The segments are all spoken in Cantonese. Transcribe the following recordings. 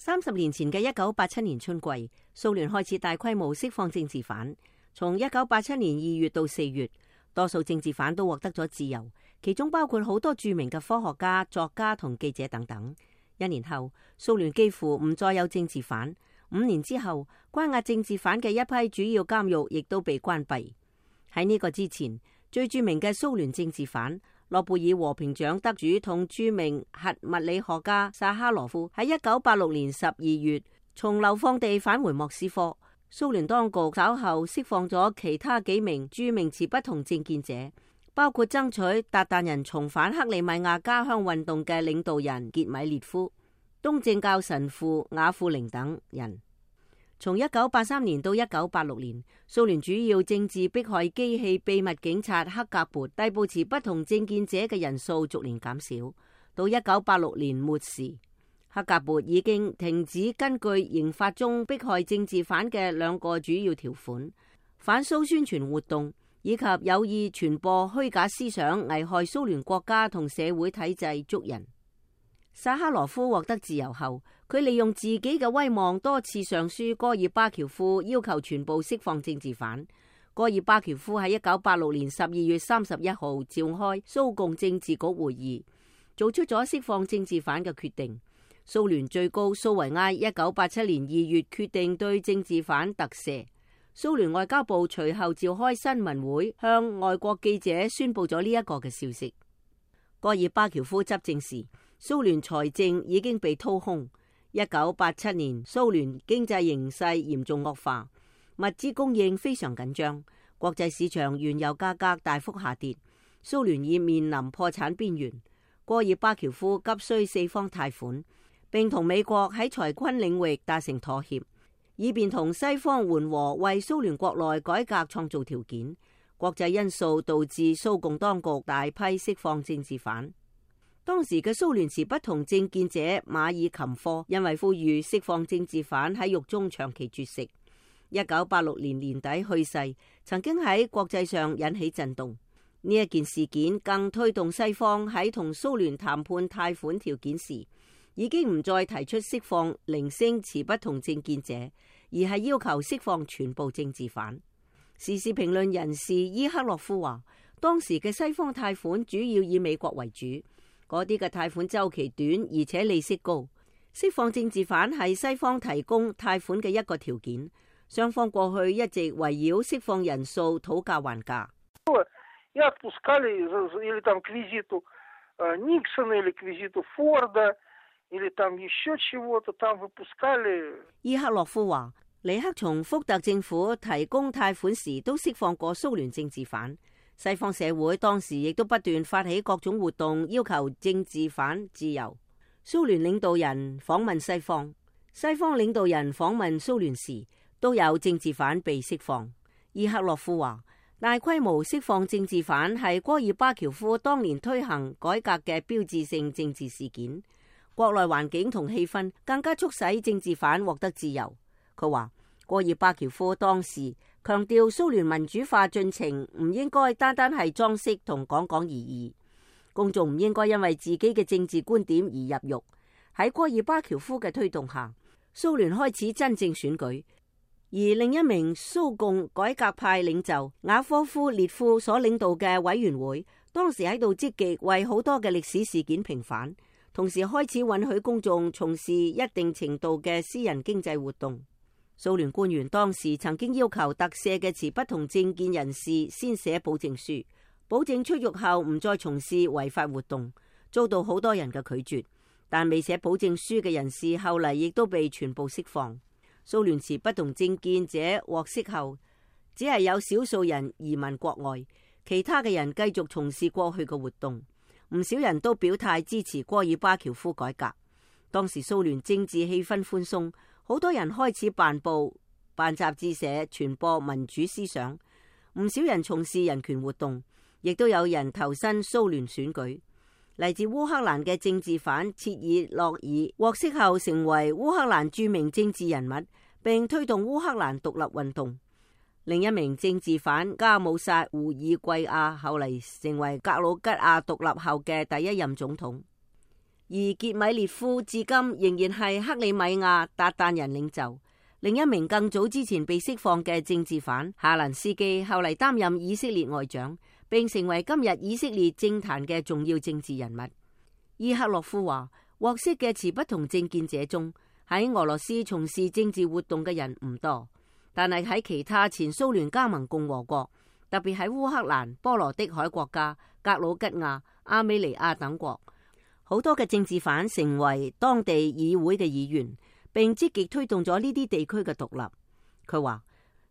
30年前嘅1987年春季，蘇聯開始大規模釋放政治犯。從1987年2月到4月，多數政治犯都獲得咗自由，其中包括好多著名嘅科學家、作家同記者等等。1年後，蘇聯幾乎唔再有政治犯。5年之後，關押政治犯嘅一批主要監獄亦都被關閉。喺呢個之前，最著名嘅蘇聯政治犯諾貝爾和平獎得主同著名核物理學家薩哈羅夫喺1986年12月從流放地返回莫斯科。蘇聯當局稍後釋放咗其他幾名著名持不同政見者，包括爭取韃靼人重返克里米亞家鄉運動嘅領導人傑米列夫、東正教神父雅庫寧等人。從1983年到1986年，蘇聯主要政治迫害機器秘密警察克格勃逮捕持不同政見者嘅人數逐年減少。到1986年末時，克格勃已經停止根據刑法中迫害政治犯嘅2個主要條款：反蘇宣傳活動以及有意傳播虛假思想危害蘇聯國家同社會體制捉人。薩哈羅夫獲得自由後，佢利用自己嘅威望多次上書戈爾巴喬夫，要求全部釋放政治犯。戈爾巴喬夫喺1986年12月31號召開蘇共政治局會議，做出咗釋放政治犯嘅決定。蘇聯最高蘇維埃1987年2月決定對政治犯特赦。蘇聯外交部隨後召開新聞會，向外國記者宣布咗呢一個嘅消息。戈爾巴喬夫執政時，蘇聯財政已經被掏空。1987年，蘇聯經濟形勢嚴重惡化，物資供應非常緊張，國際市場原油價格大幅下跌，蘇聯已面臨破產邊緣。戈爾巴喬夫急需四方貸款，並同美國喺財軍領域達成妥協，以便同西方緩和，為蘇聯國內改革創造條件。國際因素導致蘇共當局大批釋放政治犯。當時嘅蘇聯持不同政見者馬爾琴科因為呼籲釋放政治犯喺獄中長期絕食，1986年年底去世，曾經喺國際上引起震動。呢一件事件更推動西方喺同蘇聯談判貸款條件時，已經唔再提出釋放零星持不同政見者，而係要求釋放全部政治犯。時事評論人士伊克洛夫話，當時嘅西方貸款主要以美國為主，嗰啲嘅貸款週期短而且利息高，釋放政治犯係西方提供貸款嘅一個條件。雙方過去一直圍繞釋放人數討價還價。伊克洛夫話，尼克松、福特政府提供貸款時都釋放過蘇聯政治犯，西方社會當時亦都不斷發起各種活動，要求政治犯自由。蘇聯領導人訪問西方，西方領導人訪問蘇聯時，都有政治犯被釋放。伊克洛夫話，大規模釋放政治犯係戈爾巴喬夫當年推行改革嘅標誌性政治事件。國內環境同氣氛更加促使政治犯獲得自由。佢話，戈爾巴喬夫當時強調蘇聯民主化進程唔應該單單係裝飾同講講而已，公眾唔應該因為自己嘅政治觀點而入獄。喺戈爾巴喬夫嘅推動下，蘇聯開始真正選舉，而另一名蘇共改革派領袖雅科夫列夫所領導嘅委員會，當時喺度積極為好多嘅歷史事件平反，同時開始允許公眾從事一定程度嘅私人經濟活動。蘇聯官員當時曾經要求特赦嘅持不同政見人士先寫保證書，保證出獄後唔再從事違法活動，遭到好多人嘅拒絕。但未寫保證書嘅人士後嚟亦都被全部釋放。蘇聯持不同政見者獲釋後，只係有少數人移民國外，其他嘅人繼續從事過去嘅活動。唔少人都表態支持戈爾巴喬夫改革。當時蘇聯政治氣氛寬鬆，好多人開始辦報、辦雜誌社，傳播民主思想。唔少人從事人權活動，亦都有人投身蘇聯選舉。嚟自烏克蘭嘅政治犯切爾諾爾獲釋後，成為烏克蘭著名政治人物，並推動烏克蘭獨立運動。另一名政治犯加姆薩胡爾貴亞後嚟成為格魯吉亞獨立後嘅第一任總統。而傑米列夫至今仍然係克里米亞韃靼人領袖。另一名更早之前被釋放嘅政治犯夏蘭斯基，後嚟擔任以色列外長，並成為今日以色列政壇嘅重要政治人物。伊克洛夫話，獲釋嘅持不同政見者中，喺俄羅斯從事政治活動嘅人唔多，但係喺其他前蘇聯加盟共和國，特別喺烏克蘭、波羅的海國家、格魯吉亞、阿美尼亞等國，好多嘅政治犯成為當地議會嘅議員，並積極推動咗呢啲地區嘅獨立。佢話，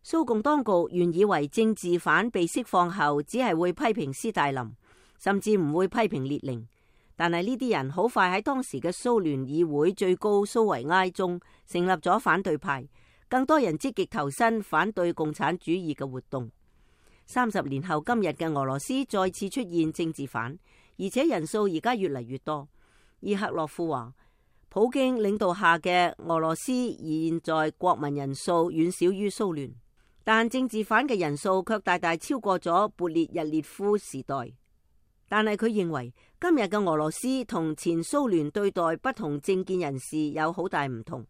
蘇共當局原以為政治犯被釋放後只係會批評斯大林，甚至唔會批評列寧。但係呢啲人好快喺當時嘅蘇聯議會最高蘇維埃中成立咗反對派，更多人積極投身反對共產主義嘅活動。30年後今日嘅俄羅斯再次出現政治犯，而且人數而家越嚟越多。伊克洛夫話，普京領導下嘅俄羅斯現在國民人數遠少於蘇聯，但政治犯嘅人數卻大大超過咗勃列日涅夫時代。但係佢認為今日嘅俄羅斯同前蘇聯對待不同政見人士有好大唔同。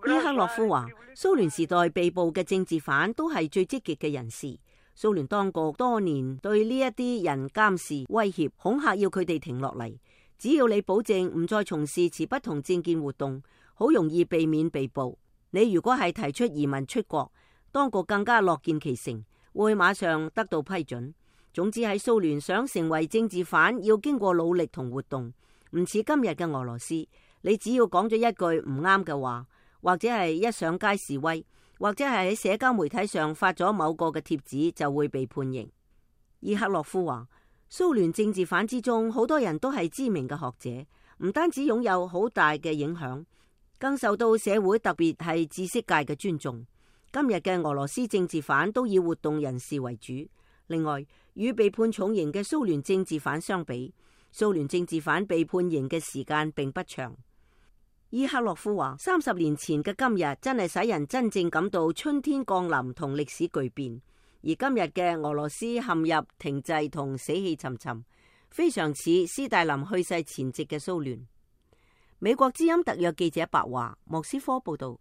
伊克洛夫話，蘇聯時代被捕嘅政治犯都係最積極嘅人士。蘇聯當局多年對呢一啲人監視、威脅、恐嚇，要佢哋停落嚟。只要你保證唔再從事持不同政見活動，好容易避免被捕。你如果係提出移民出國，當局更加樂見其成，會馬上得到批准。總之喺蘇聯想成為政治犯，要經過努力同活動，唔似今日嘅俄羅斯，你只要講咗一句唔啱嘅話，或者係一上街示威，或者係喺社交媒體上發咗某個嘅貼紙，就會被判刑。伊克洛夫話，蘇聯政治犯之中好多人都係知名嘅學者，唔單止擁有好大嘅影響，更受到社會特別係知識界嘅尊重。今日嘅俄羅斯政治犯都以活動人士為主。另外，與被判重刑嘅蘇聯政治犯相比，蘇聯政治犯被判刑嘅時間並不長。伊克洛夫話，30年前嘅今日真係使人真正感到春天降臨同歷史巨變，而今日嘅俄羅斯陷入停滯同死氣沉沉，非常似斯大林去世前夕嘅蘇聯。美國之音特約記者白華，莫斯科報道。